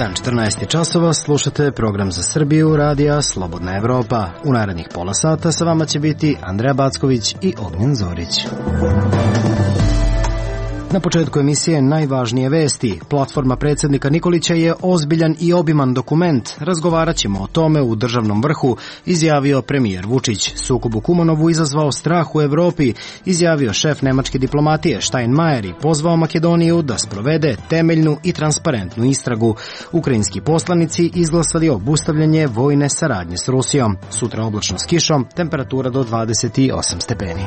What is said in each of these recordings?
dan, 14 časova, slušate program za Srbiju, radija Slobodna Evropa. U narednih pola sata sa vama će biti Andreja Backović i Ognjen Zorić. Na početku emisije najvažnije vesti. Platforma predsjednika Nikolića je ozbiljan i obiman dokument. Razgovarat ćemo o tome u državnom vrhu, izjavio premijer Vučić. Sukob u Kumanovu izazvao strah u Evropi, izjavio šef nemačke diplomatije Steinmeier i pozvao Makedoniju da sprovede temeljnu i transparentnu istragu. Ukrajinski poslanici izglasali obustavljanje vojne saradnje s Rusijom. Sutra oblačno s kišom, temperatura do 28 stepeni.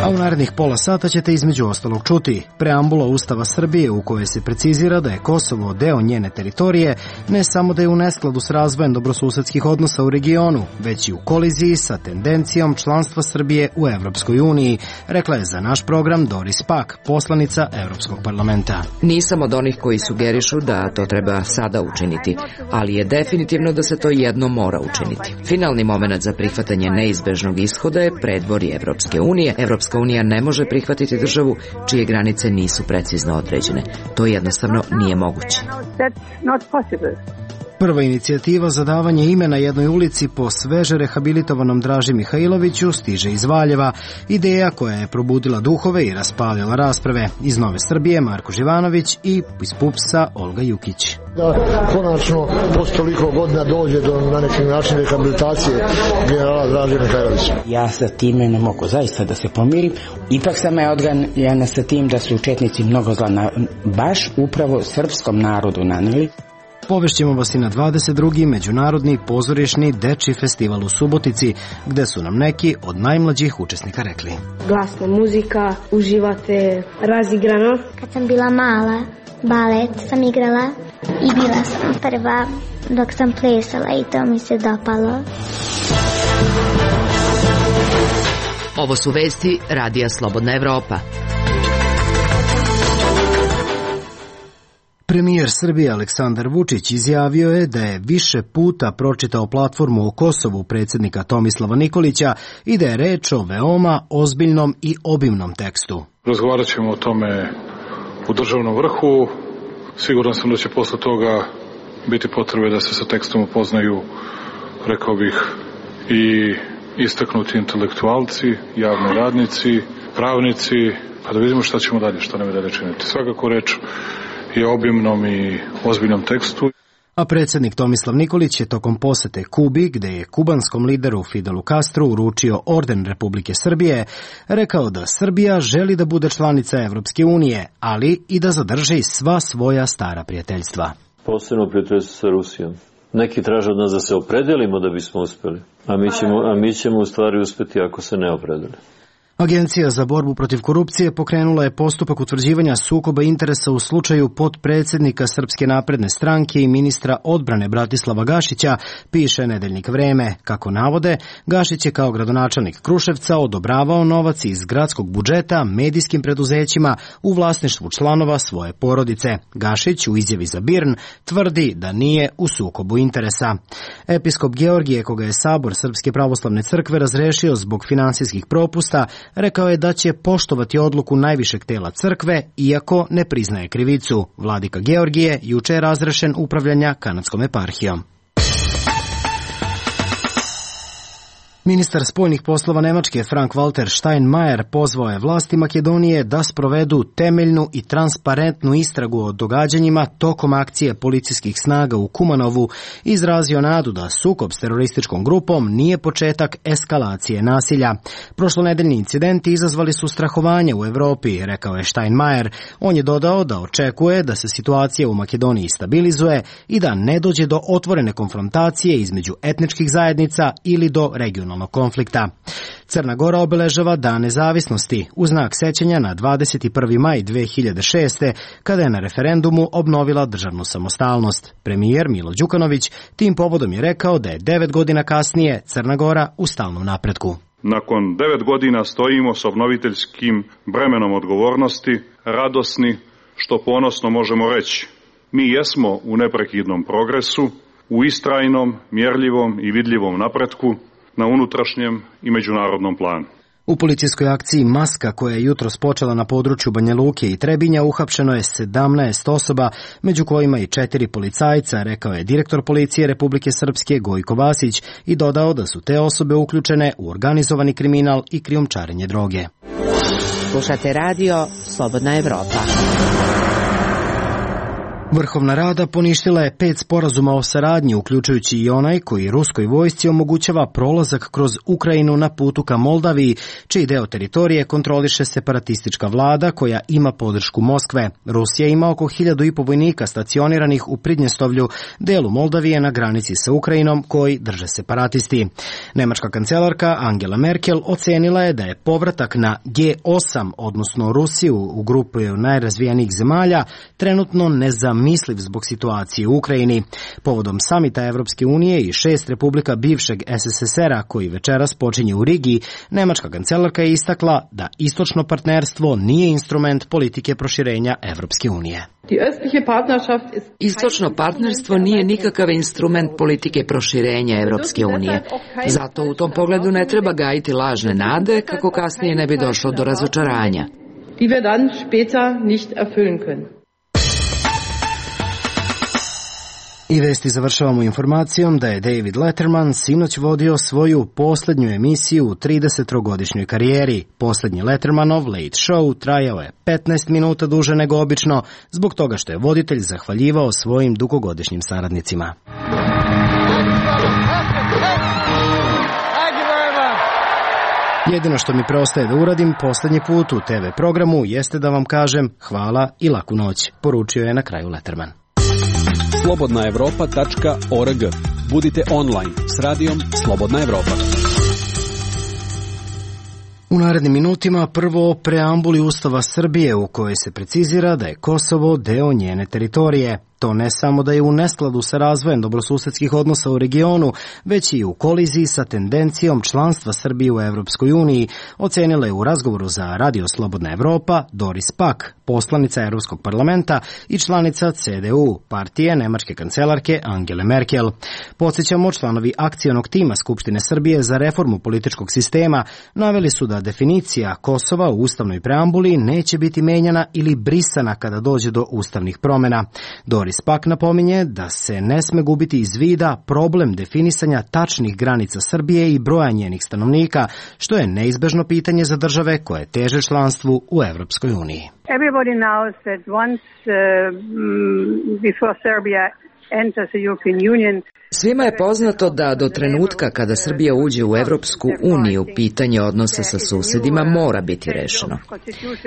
A u narednih pola sata ćete između ostalog čuti preambula Ustava Srbije u kojoj se precizira da je Kosovo deo njene teritorije, ne samo da je u neskladu s razvojem dobrosusedskih odnosa u regionu, već i u koliziji sa tendencijom članstva Srbije u Evropskoj uniji, rekla je za naš program Doris Pack, poslanica Evropskog parlamenta. Nisam od onih koji sugerišu da to treba sada učiniti, ali je definitivno da se to jednom mora učiniti. Finalni moment za prihvatanje neizbežnog ishoda je predvorje Evropske unije. Evropska unija ne može prihvatiti državu čije granice nisu precizno određene. To jednostavno nije moguće. Prva inicijativa za davanje imena jednoj ulici po sveže rehabilitovanom Draži Mihajloviću stiže iz Valjeva. Ideja koja je probudila duhove i raspalila rasprave. Iz Nove Srbije Marko Živanović i iz PUPS-a Olga Jukić. Da konačno posle toliko godina dođe do na neki način rehabilitacije generala Draže Mihajlovića. Ja sa time ne mogu zaista da se pomirim. Ipak sam ja odganjena sa tim da su četnici mnogo zla baš upravo srpskom narodu naneli. Povešćemo vas i na 22. Međunarodni pozorišni dečji festival u Subotici, gde su nam neki od najmlađih učesnika rekli. Glasna muzika, uživate razigrano. Kad sam bila mala, balet sam igrala i bila sam prva dok sam plesala i to mi se dopalo. Ovo su vesti radija Slobodna Evropa. Premijer Srbije Aleksandar Vučić izjavio je da je više puta pročitao platformu o Kosovu predsjednika Tomislava Nikolića i da je reč o veoma ozbiljnom i obimnom tekstu. Razgovarat ćemo o tome u državnom vrhu. Siguran sam da će posle toga biti potrebe da se sa tekstom upoznaju, rekao bih, i istaknuti intelektualci, javni radnici, pravnici, pa da vidimo šta ćemo dalje, šta nam je dalje činiti. Svakako reč je obimnom i ozbiljnom tekstu. A predsjednik Tomislav Nikolić je tokom posete Kubi, gde je kubanskom lideru Fidelu Castru uručio orden Republike Srbije, rekao da Srbija želi da bude članica Evropske unije, ali i da zadrži sva svoja stara prijateljstva. Posebno prijateljstvo sa Rusijom. Neki traže od nas da se opredelimo da bismo uspeli, a mi ćemo u stvari uspeti ako se ne opredeli. Agencija za borbu protiv korupcije pokrenula je postupak utvrđivanja sukoba interesa u slučaju potpredsjednika Srpske napredne stranke i ministra odbrane Bratislava Gašića, piše nedeljnik Vreme. Kako navode, Gašić je kao gradonačelnik Kruševca odobravao novac iz gradskog budžeta medijskim preduzećima u vlasništvu članova svoje porodice. Gašić u izjavi za BIRN tvrdi da nije u sukobu interesa. Episkop Georgije, koga je Sabor Srpske pravoslavne crkve razrešio zbog finansijskih propusta, rekao je da će poštovati odluku najvišeg tela crkve, iako ne priznaje krivicu. Vladika Georgije juče je razrešen upravljanja kanadskom eparhijom. Ministar spoljnih poslova Nemačke Frank-Walter Steinmeier pozvao je vlasti Makedonije da sprovedu temeljnu i transparentnu istragu o događanjima tokom akcije policijskih snaga u Kumanovu i izrazio nadu da sukob s terorističkom grupom nije početak eskalacije nasilja. Prošlonedeljni incidenti izazvali su strahovanje u Evropi, rekao je Steinmeier. On je dodao da očekuje da se situacija u Makedoniji stabilizuje i da ne dođe do otvorene konfrontacije između etničkih zajednica ili do regionalnog konflikta. Crna Gora obeležava Dan nezavisnosti u znak sećanja na 21. maj 2006. kada je na referendumu obnovila državnu samostalnost. Premijer Milo Đukanović tim povodom je rekao da je 9 godina kasnije Crna Gora u stalnom napretku. Nakon 9 godina stojimo s obnoviteljskim bremenom odgovornosti, radosni, što ponosno možemo reći. Mi jesmo u neprekidnom progresu, u istrajnom, mjerljivom i vidljivom napretku, na unutrašnjem i međunarodnom planu. U policijskoj akciji Maska, koja je jutros počela na području Banja Luke i Trebinja, uhapšeno je 17 osoba, među kojima i 4 policajca, rekao je direktor policije Republike Srpske Gojko Vasić i dodao da su te osobe uključene u organizovani kriminal i krijumčarenje droge. Slušate radio Slobodna Evropa. Vrhovna rada poništila je 5 sporazuma o saradnji, uključujući i onaj koji ruskoj vojsci omogućava prolazak kroz Ukrajinu na putu ka Moldaviji, čiji deo teritorije kontroliše separatistička vlada koja ima podršku Moskve. Rusija ima oko 1.500 vojnika stacioniranih u Pridnjestovlju, delu Moldavije na granici sa Ukrajinom, koji drže separatisti. Nemačka kancelarka Angela Merkel ocenila je da je povratak na G8, odnosno Rusiju u grupu najrazvijenijih zemalja, trenutno nezamisliv zbog situacije u Ukrajini. Povodom samita Evropske unije i 6 republika bivšeg SSSR-a koji večeras počinje u Rigi, nemačka kancelarka je istakla da istočno partnerstvo nije instrument politike proširenja Evropske unije. Istočno partnerstvo nije nikakav instrument politike proširenja Evropske unije. Zato u tom pogledu ne treba gajiti lažne nade kako kasnije ne bi došlo do razočaranja. I vesti završavamo informacijom da je David Letterman sinoć vodio svoju posljednju emisiju u 30-godišnjoj karijeri. Posljednji Lettermanov Late Show trajao je 15 minuta duže nego obično, zbog toga što je voditelj zahvaljivao svojim dugogodišnjim saradnicima. Jedino što mi preostaje da uradim posljednji put u TV programu jeste da vam kažem hvala i laku noć, poručio je na kraju Letterman. slobodnaevropa.org. Budite online s radijom Slobodna Evropa. U narednim minutima prvo o preambuli Ustava Srbije u kojoj se precizira da je Kosovo deo njene teritorije. To ne samo da je u neskladu sa razvojem dobrosusedskih odnosa u regionu, već i u koliziji sa tendencijom članstva Srbije u Evropskoj uniji, ocenila je u razgovoru za Radio Slobodna Evropa Doris Pack, poslanica Evropskog parlamenta i članica CDU, partije nemačke kancelarke Angele Merkel. Podsjećamo, članovi akcionog tima Skupštine Srbije za reformu političkog sistema naveli su da definicija Kosova u ustavnoj preambuli neće biti menjana ili brisana kada dođe do ustavnih promjena. Doris Pack napominje da se ne sme gubiti iz vida problem definisanja tačnih granica Srbije i broja njenih stanovnika, što je neizbežno pitanje za države koje teže članstvu u Evropskoj uniji. Everybody knows that once before Serbia enters the European Union, svima je poznato da do trenutka kada Srbija uđe u Evropsku uniju, pitanje odnosa sa susedima mora biti rešeno.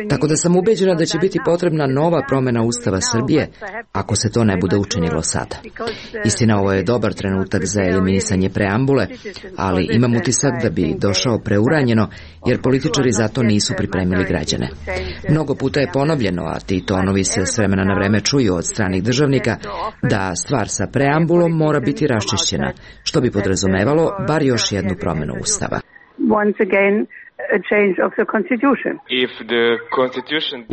Tako da sam ubeđena da će biti potrebna nova promjena Ustava Srbije ako se to ne bude učinilo sada. Istina, ovo je dobar trenutak za eliminisanje preambule, ali imam utisak da bi došao preuranjeno jer političari zato nisu pripremili građane. Mnogo puta je ponovljeno, a ti tonovi se s vremena na vreme čuju od stranih državnika, da stvar sa preambulom mora biti raščišćena, što bi podrazumevalo bar još jednu promjenu Ustava.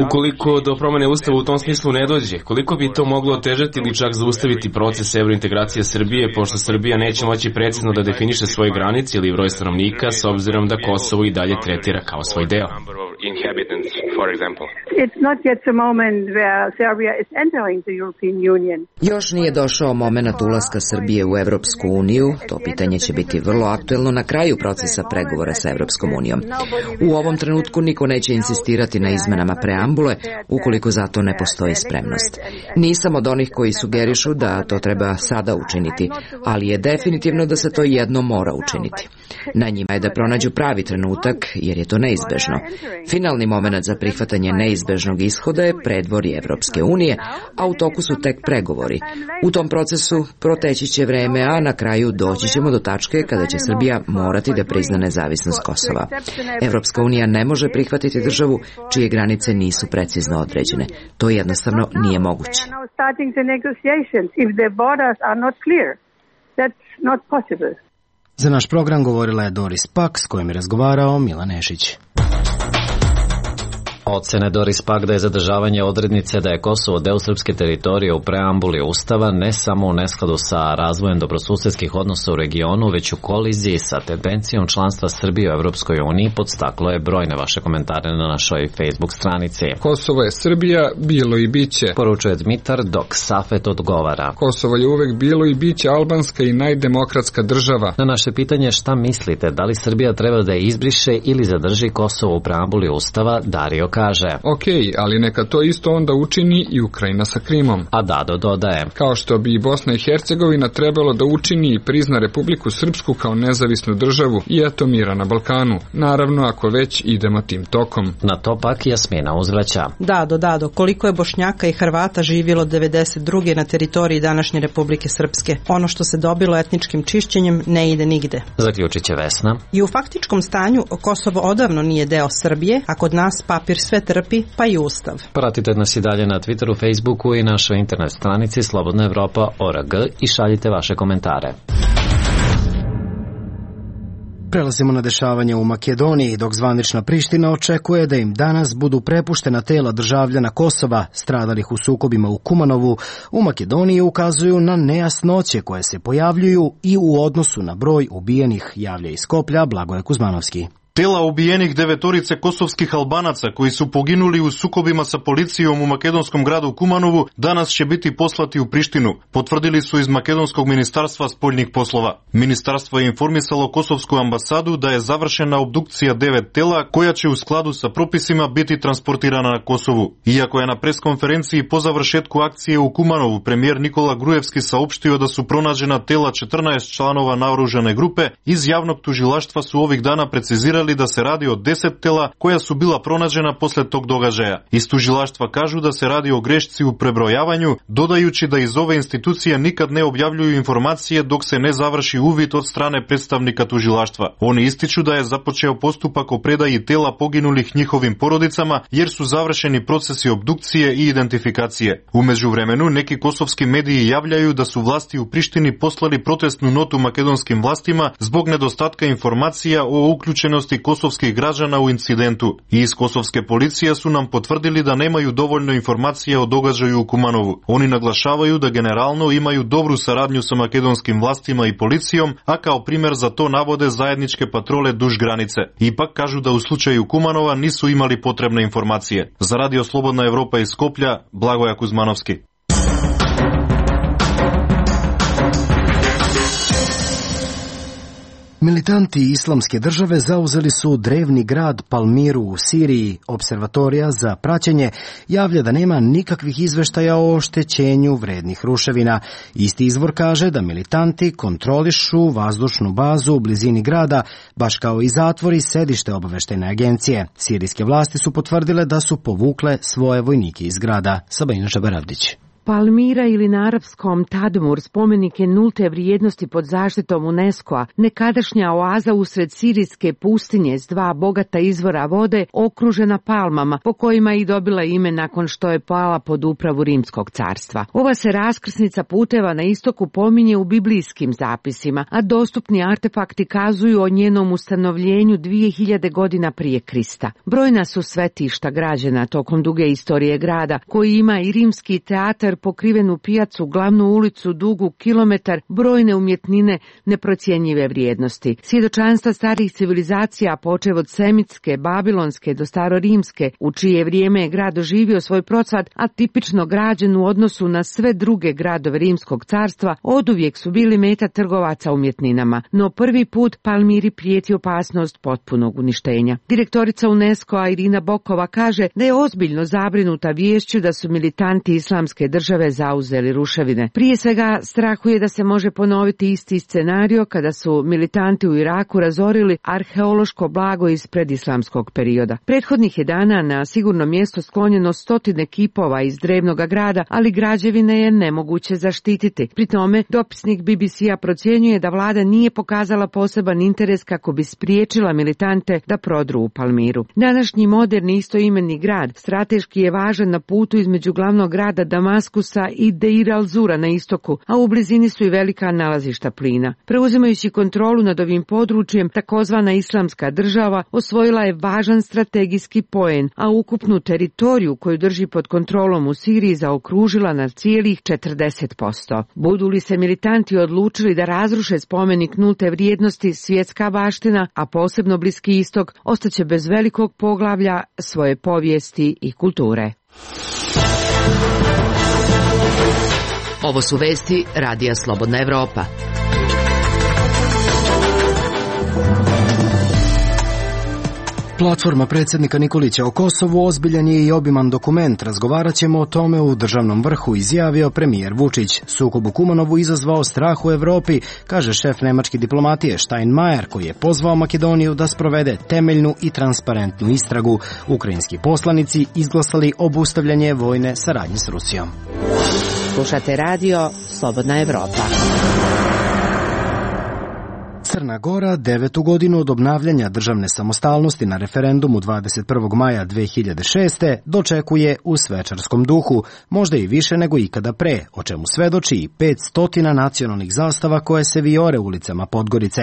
Ukoliko do promjene Ustava u tom smislu ne dođe, koliko bi to moglo otežati ili čak zaustaviti proces evrointegracije Srbije, pošto Srbija neće moći precizno da definiše svoje granice ili broj stanovnika, s obzirom da Kosovo i dalje tretira kao svoj deo. Još nije došao momenat ulaska Srbije u Evropsku uniju, to pitanje će biti vrlo aktuelno na kraju procesa pregovora sa Evropskom unijom. U ovom trenutku niko neće insistirati na izmenama preambule ukoliko za to ne postoji spremnost. Nisam od onih koji sugerišu da to treba sada učiniti, ali je definitivno da se to jedno mora učiniti. Na njima je da pronađu pravi trenutak, jer je to neizbežno. Finalni moment za prihvatanje neizbežnog ishoda je predvorje Evropske unije, a u toku su tek pregovori. U tom procesu proteći će vreme, a na kraju doći ćemo do tačke kada će Srbija morati da prizna nezavisnost Kosova. Evropska unija ne može prihvatiti državu čije granice nisu precizno određene. To jednostavno nije moguće. Za naš program govorila je Doris Pack, s kojim je razgovarao Milan Nešić. Ocene Doris Pack da je zadržavanje odrednice da je Kosovo deo srpske teritorije u preambuli Ustava ne samo u neskladu sa razvojem dobrosusedskih odnosa u regionu, već u koliziji sa tendencijom članstva Srbije u Evropskoj uniji, podstaklo je brojne vaše komentare na našoj Facebook stranici. Kosovo je Srbija, bilo i biće, poručuje Dmitar, dok Safet odgovara. Kosovo je uvek bilo i biće albanska i najdemokratska država. Na naše pitanje šta mislite, da li Srbija treba da je izbriše ili zadrži Kosovo u preambuli Ustava, Dario kaže: Okej, ali neka to isto onda učini i Ukrajina sa Krimom. A Dado dodaje: kao što bi i Bosna i Hercegovina trebalo da učini i prizna Republiku Srpsku kao nezavisnu državu i eto mira na Balkanu. Naravno, ako već idemo tim tokom. Na to pak Jasmina uzvraća: Dado, koliko je Bošnjaka i Hrvata živjelo 92. na teritoriji današnje Republike Srpske? Ono što se dobilo etničkim čišćenjem ne ide nigde. Zaključit će Vesna. I u faktičkom stanju Kosovo odavno nije deo Srbije, a kod nas papir sve trpi, pa i Ustav. Pratite nas i dalje na Twitteru, Facebooku i našoj internet stranici slobodnaevropa.org i šaljite vaše komentare. Prelazimo na dešavanje u Makedoniji, dok zvanična Priština očekuje da im danas budu prepuštena tela državljana Kosova stradalih u sukobima u Kumanovu. U Makedoniji ukazuju na nejasnoće koje se pojavljuju i u odnosu na broj ubijenih, javlja iz Skoplja Blagoje Kuzmanovski. Tela ubijenih 9 kosovskih Albanaca koji su poginuli u sukobima sa policijom u makedonskom gradu Kumanovu danas će biti poslati u Prištinu, potvrdili su iz Makedonskog ministarstva spoljnih poslova. Ministarstvo je informisalo kosovsku ambasadu da je završena obdukcija 9 tela koja će u skladu sa propisima biti transportirana na Kosovu. Iako je na preskonferenciji po završetku akcije u Kumanovu premijer Nikola Grujevski saopštio da su pronađena tela 14 članova naoružane grupe, iz javnog tužilaštva su ovih dana precizirali da se radi o 10 tela koja su bila pronađena posle tog događaja. Iz tužilaštva kažu da se radi o grešci u prebrojavanju, dodajući da iz ove institucije nikad ne objavljuju informacije dok se ne završi uvid od strane predstavnika tužilaštva. Oni ističu da je započeo postupak o predaji tela poginulih njihovim porodicama jer su završeni procesi obdukcije i identifikacije. U međuvremenu neki kosovski mediji javljaju da su vlasti u Prištini poslali protestnu notu makedonskim vlastima zbog nedostatka informacija o uključenosti kosovskih građana u incidentu. I iz kosovske policije su nam potvrdili da nemaju dovoljno informacije o događaju u Kumanovu. Oni naglašavaju da generalno imaju dobru saradnju sa makedonskim vlastima i policijom, a kao primjer za to navode zajedničke patrole duž granice. Ipak kažu da u slučaju Kumanova nisu imali potrebne informacije. Za Radio Slobodna Evropa iz Skoplja, Blagoje Kuzmanovski. Militanti Islamske države zauzeli su drevni grad Palmiru u Siriji. Observatorija za praćenje javlja da nema nikakvih izveštaja o oštećenju vrednih ruševina. Isti izvor kaže da militanti kontrolišu vazdušnu bazu u blizini grada, baš kao i zatvori i sedište obaveštajne agencije. Sirijske vlasti su potvrdile da su povukle svoje vojnike iz grada. Sabina Žabaravdić. Palmira ili na arapskom Tadmur spomenik je nulte vrijednosti pod zaštitom UNESCO-a, nekadašnja oaza usred sirijske pustinje s 2 bogata izvora vode okružena palmama, po kojima je i dobila ime nakon što je pala pod upravu Rimskog carstva. Ova se raskrsnica puteva na istoku pominje u biblijskim zapisima, a dostupni artefakti kazuju o njenom ustanovljenju 2000 godina prije Krista. Brojna su svetišta građena tokom duge istorije grada, koji ima i rimski teatar, pokrivenu pijacu, glavnu ulicu dugu kilometar, brojne umjetnine neprocjenjive vrijednosti. Svjedočanstva starih civilizacija, počev od semitske, babilonske do starorimske, u čije vrijeme je grad doživio svoj procvat, a tipično građen u odnosu na sve druge gradove Rimskog carstva, oduvijek su bili meta trgovaca umjetninama. No prvi put Palmiri prijeti opasnost potpunog uništenja. Direktorica UNESCO-a Irina Bokova kaže da je ozbiljno zabrinuta viješću da su militanti Islamske države zauzeli ruševine. Prije svega strahuje da se može ponoviti isti scenario kada su militanti u Iraku razorili arheološko blago iz predislamskog perioda. Prethodnih je dana na sigurno mjesto sklonjeno 100 kipova iz drevnog grada, ali građevine je nemoguće zaštititi. Pri tome, dopisnik BBC-a procjenjuje da vlada nije pokazala poseban interes kako bi spriječila militante da prodru u Palmiru. Današnji moderni istoimenni grad strateški je važan na putu između glavnog grada Damaska Damaskusa i Deir al-Zura na istoku, a u blizini su i velika nalazišta plina. Preuzimajući kontrolu nad ovim područjem, takozvana Islamska država osvojila je važan strategijski poen, a ukupnu teritoriju koju drži pod kontrolom u Siriji zaokružila na cijelih 40%. Budu li se militanti odlučili da razruše spomenik nulte vrijednosti, svjetska baština, a posebno Bliski istok, ostaće bez velikog poglavlja svoje povijesti i kulture. Ovo su vesti Radija Slobodna Evropa. Platforma predsjednika Nikolića o Kosovu ozbiljan je i obiman dokument. Razgovarat ćemo o tome u državnom vrhu, izjavio premijer Vučić. Sukob u Kumanovu izazvao strah u Evropi, kaže šef nemačke diplomatije Steinmeier, koji je pozvao Makedoniju da sprovede temeljnu i transparentnu istragu. Ukrajinski poslanici izglasali obustavljanje vojne saradnje s Rusijom. Slušate radio Slobodna Evropa. Crna Gora 9. godinu od obnavljanja državne samostalnosti na referendumu 21. maja 2006. dočekuje u svečarskom duhu, možda i više nego ikada pre, o čemu svedoči i 500 nacionalnih zastava koje se vijore ulicama Podgorice.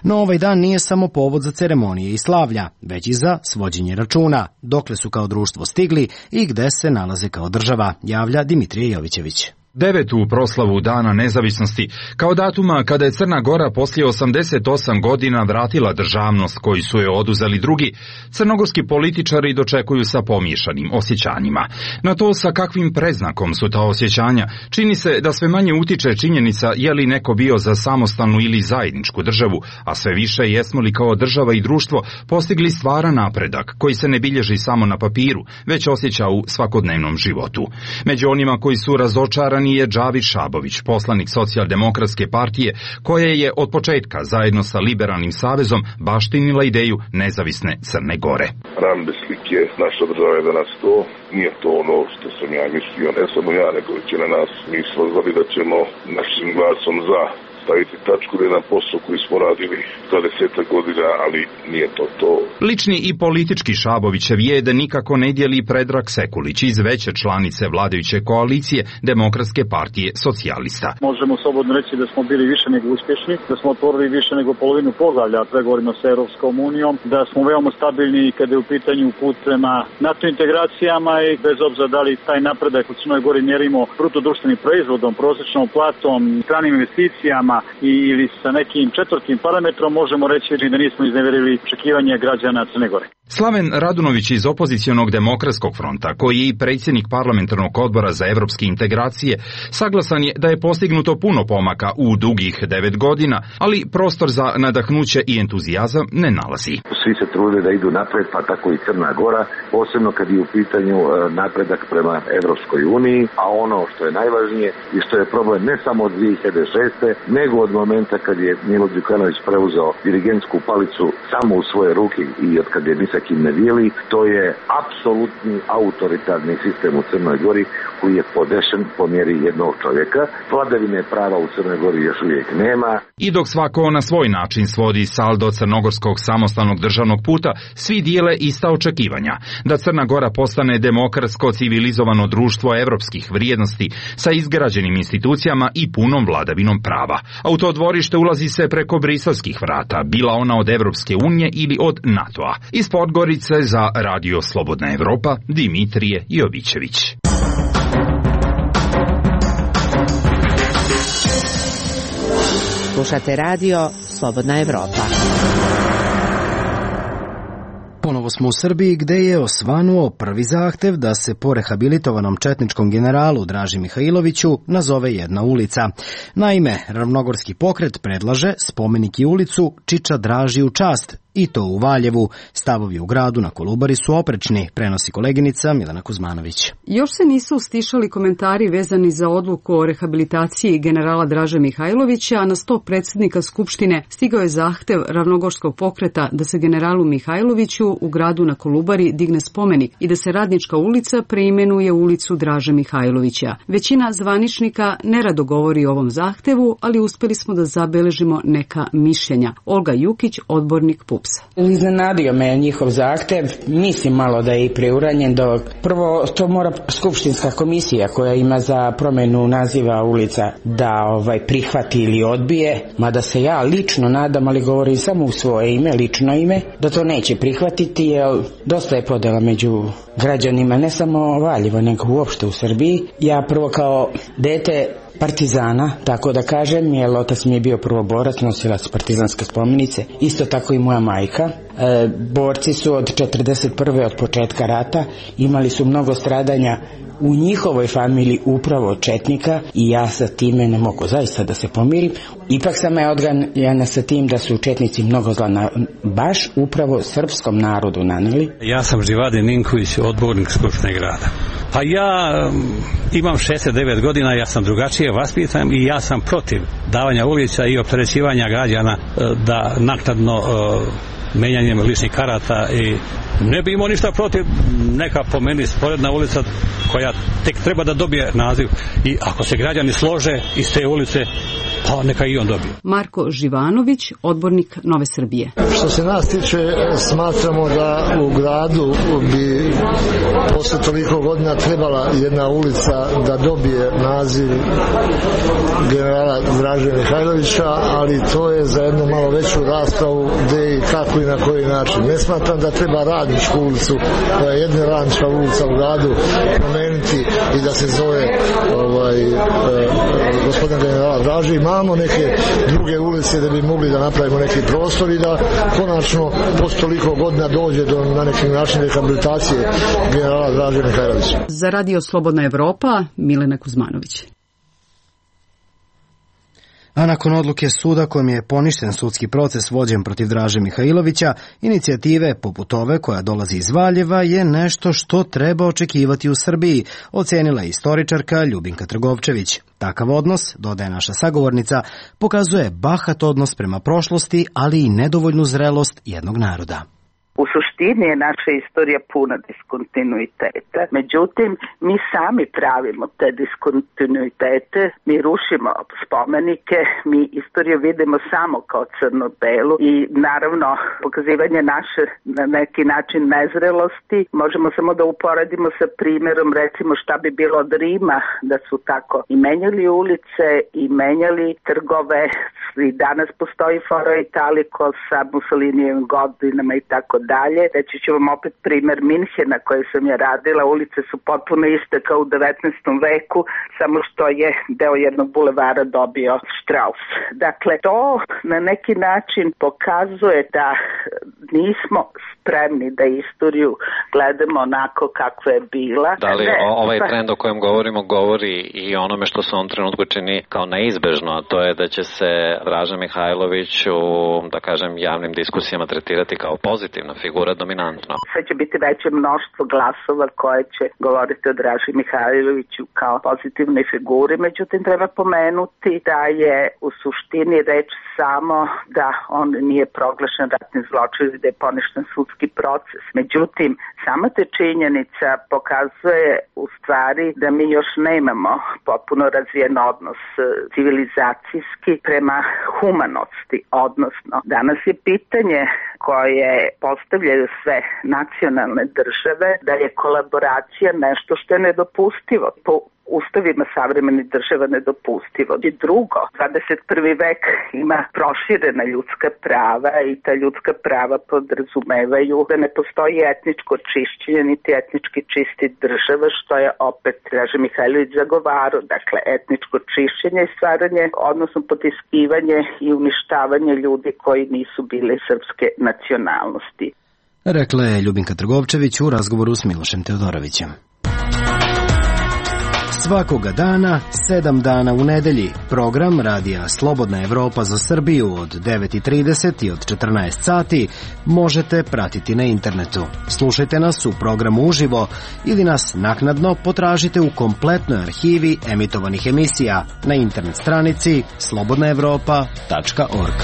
No ovaj dan nije samo povod za ceremonije i slavlja, već i za svođenje računa, dokle su kao društvo stigli i gde se nalaze kao država, javlja Dimitrije Jovićević. 9. proslavu Dana nezavisnosti, kao datuma kada je Crna Gora poslije 88 godina vratila državnost koju su joj oduzeli drugi, crnogorski političari dočekuju sa pomiješanim osjećanjima. Na to sa kakvim predznakom su ta osjećanja, čini se da sve manje utiče činjenica je li neko bio za samostalnu ili zajedničku državu, a sve više jesmo li kao država i društvo postigli stvaran napredak koji se ne bilježi samo na papiru, već osjeća u svakodnevnom životu. Među onima koji su razočarani je Džavid Šabović, poslanik Socijaldemokratske partije, koja je od početka zajedno sa Liberalnim savezom baštinila ideju nezavisne Crne Gore. Ram bez slike, naša država je danas to, nije to ono što sam ja mislio, ne samo ja, nego većina nas. Mi smo znali da ćemo našim glasom za staviti tačku na jedan posao koji smo radili 20 godina, ali nije to. Lični i politički Šabovićev je da nikako ne dijeli Predrag Sekulić iz veće članice vladajuće koalicije Demokratske partije socijalista. Možemo slobodno reći da smo bili više nego uspješni, da smo otvorili više nego polovinu poglavlja pregovorima sa Europskom unijom, da smo veoma stabilni kada je u pitanju put prema NATO integracijama i bez obzira da li taj napredak u Crnoj Gori mjerimo bruto društvenim proizvodom, prosječnom platom, stranim investicijama ili sa nekim četvrtim parametrom, možemo reći da nismo izneverili očekivanja građana Crne Gore. Slaven Radunović iz opozicionog Demokratskog fronta, koji je i predsjednik parlamentarnog odbora za evropske integracije, saglasan je da je postignuto puno pomaka u dugih 9 godina, ali prostor za nadahnuće i entuzijazam ne nalazi. Svi se trude da idu napred, pa tako i Crna Gora, posebno kad je u pitanju napredak prema Evropskoj uniji, a ono što je najvažnije i što je problem ne samo od 2006. nego od momenta kad je Milo Đukanović preuzeo dirigentsku palicu samo u svoje ruke i od kad je ni sa kim ne dijeli, to je apsolutni autoritarni sistem u Crnoj Gori koji je podešen po mjeri jednog čovjeka. Vladavine prava u Crnoj Gori još uvijek nema. I dok svako na svoj način svodi saldo crnogorskog samostalnog državnog puta, svi dijele ista očekivanja da Crna Gora postane demokratsko civilizovano društvo evropskih vrijednosti sa izgrađenim institucijama i punom vladavinom prava. A u to dvorište ulazi se preko briselskih vrata, bila ona od Evropske unije ili od NATO-a. Iz Podgorice za Radio Slobodna Evropa, Dimitrije Jovićević. Slušate radio Slobodna Evropa. Ponovo smo u Srbiji gde je osvanuo prvi zahtev da se po rehabilitovanom četničkom generalu Draži Mihajloviću nazove jedna ulica. Naime, Ravnogorski pokret predlaže spomenik i ulicu Čiča Draži u čast, i to u Valjevu. Stavovi u gradu na Kolubari su oprečni, prenosi koleginica Milena Kuzmanović. Još se nisu stišali komentari vezani za odluku o rehabilitaciji generala Draže Mihajlovića, a na sto predsjednika Skupštine stigao je zahtev Ravnogorskog pokreta da se generalu Mihajloviću u gradu na Kolubari digne spomenik i da se Radnička ulica preimenuje u ulicu Draže Mihajlovića. Većina zvaničnika nerado govori o ovom zahtevu, ali uspjeli smo da zabeležimo neka mišljenja. Olga Jukić, odbornik PUPS. PUPS-a. Iznenadio me njihov zahtev, mislim malo da je i preuranjen, dok prvo to mora skupštinska komisija koja ima za promjenu naziva ulica da prihvati ili odbije, mada se ja lično nadam, ali govorim samo u svoje ime, lično ime, da to neće prihvatiti, jer dosta je podela među građanima, ne samo Valjevo, nego uopšte u Srbiji. Ja prvo kao dete partizana, tako da kažem, jer otac mi je bio prvoborac, nosilac partizanske spomenice, isto tako i moja majka. Borci su od 41. od početka rata, imali su mnogo stradanja u njihovoj familiji upravo od četnika i ja sa time ne mogu zaista da se pomirim. Ipak sam je odganjana sa tim da su četnici mnogo zla baš upravo srpskom narodu naneli. Ja sam Živade Ninković, odbornik Skupštine grada. Pa ja imam 69 godina, ja sam drugačije vaspitan i ja sam protiv davanja ulica i opterećivanja građana da naknadno menjanjem ličnih karata i ne bi imao ništa protiv neka po meni sporedna ulica koja tek treba da dobije naziv i ako se građani slože iz te ulice, pa neka i on dobije. Marko Živanović, odbornik Nove Srbije. Što se nas tiče, smatramo da u gradu bi posle toliko godina trebala jedna ulica da dobije naziv generala Draže Mihajlovića, ali to je za jednu malo veću raspravu gde i kako i na koji način. Ne smatram da treba Radničku ulicu, koja je jedna radnička ulica u gradu, promeniti i da se zove gospodin generala Draže. Imamo neke druge ulice da bi mogli da napravimo neki prostor i da konačno posle toliko godina dođe do na neki način rehabilitacije generala Draže Mihajlovića. Za Radio Slobodna Evropa, Milena Kuzmanović. A nakon odluke suda kojom je poništen sudski proces vođen protiv Draže Mihajlovića, inicijative poput ove koja dolazi iz Valjeva je nešto što treba očekivati u Srbiji, ocenila je istoričarka Ljubinka Trgovčević. Takav odnos, dodaje naša sagovornica, pokazuje bahat odnos prema prošlosti, ali i nedovoljnu zrelost jednog naroda. U suštini je naša istorija puna diskontinuiteta. Međutim, mi sami pravimo te diskontinuitete, mi rušimo spomenike, mi istoriju vidimo samo kao crno-belu i naravno pokazivanje naše na neki način nezrelosti možemo samo da uporedimo sa primjerom recimo šta bi bilo od Rima da su tako i menjali ulice i menjali trgove. I danas postoji fora Italiko sa Mussolinijevim godinama i tako dalje. Reći ću vam opet primjer Minhena koje sam ja radila. Ulice su potpuno iste kao u 19. veku, samo što je deo jednog bulevara dobio Strauss. Dakle, to na neki način pokazuje da nismo spremni da istoriju gledamo onako kakva je bila. Da li ovaj trend o kojem govorimo govori i onome što se u ovom trenutku čini kao neizbežno, a to je da će se Draža Mihajlović u, da kažem, javnim diskusijama tretirati kao pozitivna figura, dominantno. Sve će biti veće mnoštvo glasova koje će govoriti o Draži Mihajloviću kao pozitivnoj figuri, međutim treba pomenuti da je u suštini reč samo da on nije proglašen ratni zločin i da je poništen sudski proces. Međutim, sama te činjenica pokazuje u stvari da mi još nemamo potpuno razvijen odnos civilizacijski prema humanosti, odnosno danas je pitanje koje postavljaju sve nacionalne države da je kolaboracija nešto što je nedopustivo. Po ustavima savremenih država nedopustivo. I drugo, 21. vek ima proširena ljudska prava i ta ljudska prava podrazumevaju da ne postoji etničko čišćenje niti etnički čisti država, što je opet Draža Mihajlović zagovarao. Dakle, etničko čišćenje i stvaranje, odnosno potiskivanje i uništavanje ljudi koji nisu bili srpske nacionalnosti. Rekla je Ljubinka Trgovčević u razgovoru s Milošem Teodorovićem. Svakoga dana, 7 dana u nedelji, program Radija Slobodna Evropa za Srbiju od 9:30 i od 14 sati možete pratiti na internetu. Slušajte nas u programu uživo ili nas naknadno potražite u kompletnoj arhivi emitovanih emisija na internet stranici slobodnaevropa.org.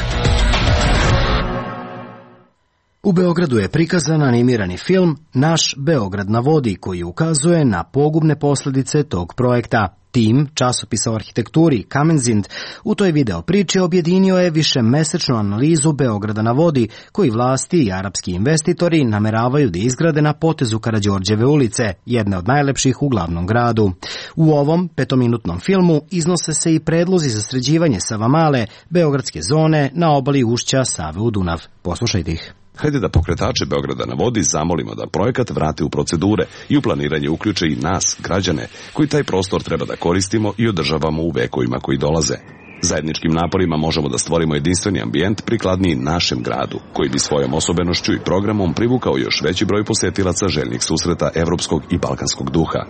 U Beogradu je prikazan animirani film Naš Beograd na vodi koji ukazuje na pogubne posljedice tog projekta. Tim, časopisa o arhitekturi Kamenzind, u toj video priči objedinio je višemesečnu analizu Beograda na vodi, koji vlasti i arapski investitori nameravaju da izgrade na potezu Karađorđeve ulice, jedne od najlepših u glavnom gradu. U ovom petominutnom filmu iznose se i predlozi za sređivanje Savamale, beogradske zone na obali ušća Save u Dunav. Poslušajte ih. Hajde da pokretače Beograda na vodi zamolimo da projekat vrate u procedure i u planiranje uključe i nas, građane, koji taj prostor treba da koristimo i održavamo u vekovima koji dolaze. Zajedničkim naporima možemo da stvorimo jedinstveni ambijent prikladniji našem gradu, koji bi svojom osobenošću i programom privukao još veći broj posetilaca željnih susreta evropskog i balkanskog duha.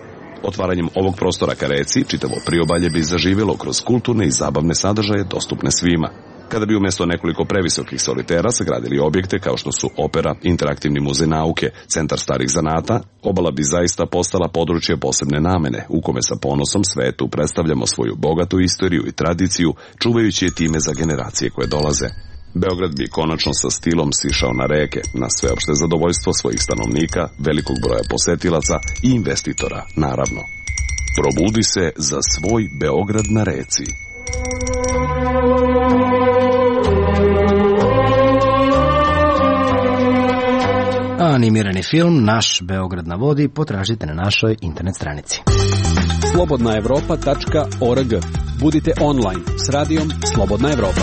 Otvaranjem ovog prostora ka reci, čitavo priobalje bi zaživjelo kroz kulturne i zabavne sadržaje dostupne svima. Kada bi umjesto nekoliko previsokih solitera sagradili objekte kao što su opera, interaktivni muzej nauke, centar starih zanata, obala bi zaista postala područje posebne namene, u kome sa ponosom svetu predstavljamo svoju bogatu istoriju i tradiciju, čuvajući je time za generacije koje dolaze. Beograd bi konačno sa stilom sišao na reke, na sveopšte zadovoljstvo svojih stanovnika, velikog broja posetilaca i investitora, naravno. Probudi se za svoj Beograd na reci. Animirani film Naš Beograd na vodi potražite na našoj internet stranici. slobodnaevropa.org. Budite online s radijom Slobodna Evropa.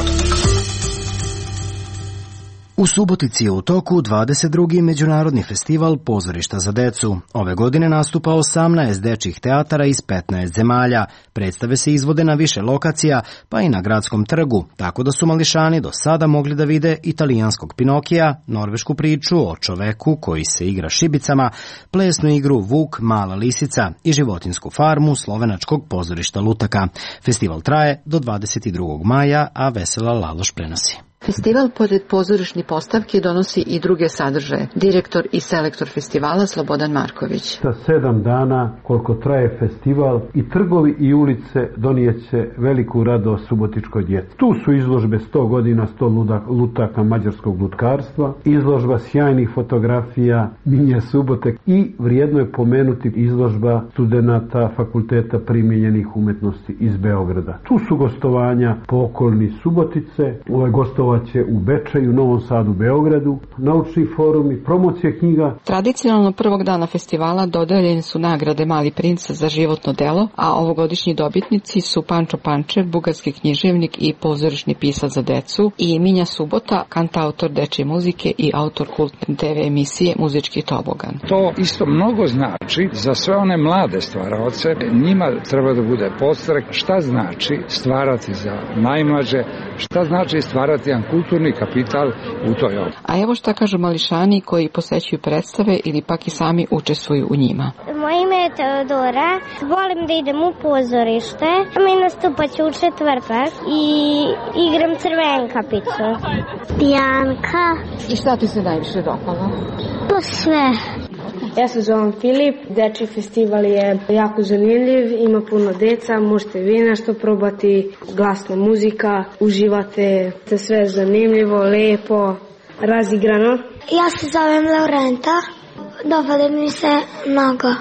U Subotici je u toku 22. Međunarodni festival pozorišta za decu. Ove godine nastupa 18 dečjih teatara iz 15 zemalja. Predstave se izvode na više lokacija, pa i na gradskom trgu, tako da su mališani do sada mogli da vide italijanskog Pinokija, norvešku priču o čoveku koji se igra šibicama, plesnu igru Vuk, mala lisica i životinsku farmu slovenačkog pozorišta Lutaka. Festival traje do 22. maja, a Vesela Laloš prenosi. Festival pored pozorišnih postavki donosi i druge sadržaje. Direktor i selektor festivala Slobodan Marković. Za 7 dana koliko traje festival i trgovi i ulice donijeće veliku radost subotičkoj djeci. Tu su izložbe 100 godina, 100 lutaka mađarskog lutkarstva, izložba sjajnih fotografija Minje Subote i vrijedno je pomenuti izložba studenata Fakulteta primijenjenih umetnosti iz Beograda. Tu su gostovanja po okolini Subotice, gostovaće u Bečeju, Novom Sadu, Beogradu, naučni forumi, promocije knjiga. Tradicionalno prvog dana festivala dodeljene su nagrade Mali princ za životno delo, a ovogodišnji dobitnici su Pančo Pančev, bugarski književnik i pozorišni pisac za decu, i Minja Subota, kantautor dečje muzike i autor kultne TV emisije Muzički tobogan. To isto mnogo znači za sve one mlade stvaraoce. Njima treba da bude podstrek šta znači stvarati za najmlađe, šta znači stvarati jedan kulturni kapital u toj oblasti. A evo šta kažu mališani koji posećuju predstave ili pak i sami učestvuju u njima. Moje ime je Teodora, volim da idem u pozorište, mi nastupaću u četvrtak i igram Crvenkapicu. Bianka. I šta ti se najviše dopalo? Pa sve. Ja se zovem Filip, dečji festival je jako zanimljiv, ima puno deca, možete vi nešto probati, glasna muzika, uživate, sve zanimljivo, lepo, razigrano. Ja se zovem Laurenta, dopada mi se mnogo.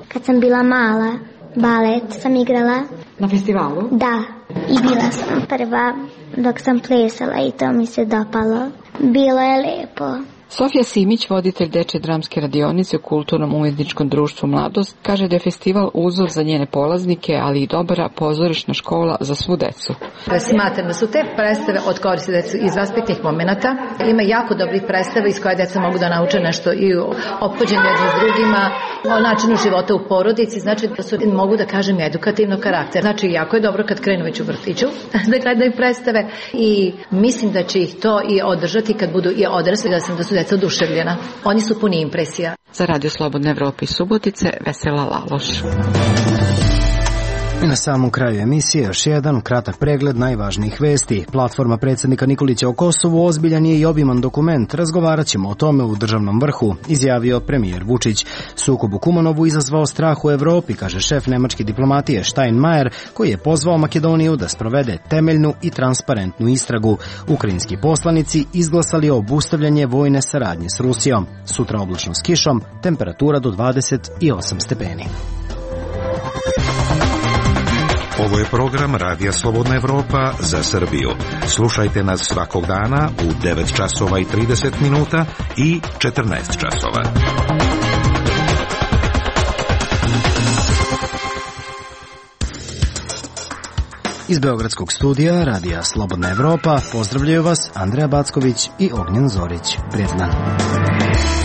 Kad sam bila mala, balet sam igrala. Na festivalu? Da, i bila sam prva dok sam plesala i to mi se dopalo. Bilo je lepo. Sofija Simić, voditelj dečje dramske radionice u Kulturnom umetničkom društvu Mladost, kaže da je festival uzor za njene polaznike, ali i dobra pozorišna škola za svu decu. Smatram da su te predstave od koristi decu iz vaspitnih momenata. Ima jako dobrih predstava iz koje deca mogu da nauče nešto i o ophođenju jedni s drugima, o načinu života u porodici, znači da su, mogu da kažem, edukativnog karaktera. Znači, jako je dobro kad krenu već u vrtiću da gledaju predstave i mislim da će ih to i održati kad budu i odrasli, da su deca oduševljena. Oni su puni impresija. Za Radio Slobodne Evrope iz Subotice, Vesela Laloš. I na samom kraju emisije još jedan kratak pregled najvažnijih vesti. Platforma predsjednika Nikolića o Kosovu ozbiljan je i obiman dokument. Razgovarat ćemo o tome u državnom vrhu, izjavio premijer Vučić. Sukob u Kumanovu izazvao strah u Evropi, kaže šef nemačke diplomatije Steinmeier, koji je pozvao Makedoniju da sprovede temeljnu i transparentnu istragu. Ukrajinski poslanici izglasali obustavljanje vojne saradnje s Rusijom. Sutra oblačno s kišom, temperatura do 28 stepeni. Ovo je program Radija Slobodna Evropa za Srbiju. Slušajte nas svakog dana u 9 časova i 30 minuta i 14 časova. Iz Beogradskog studija Radija Slobodna Evropa pozdravljaju vas Andreja Backović i Ognjen Zorić. Prijatan dan.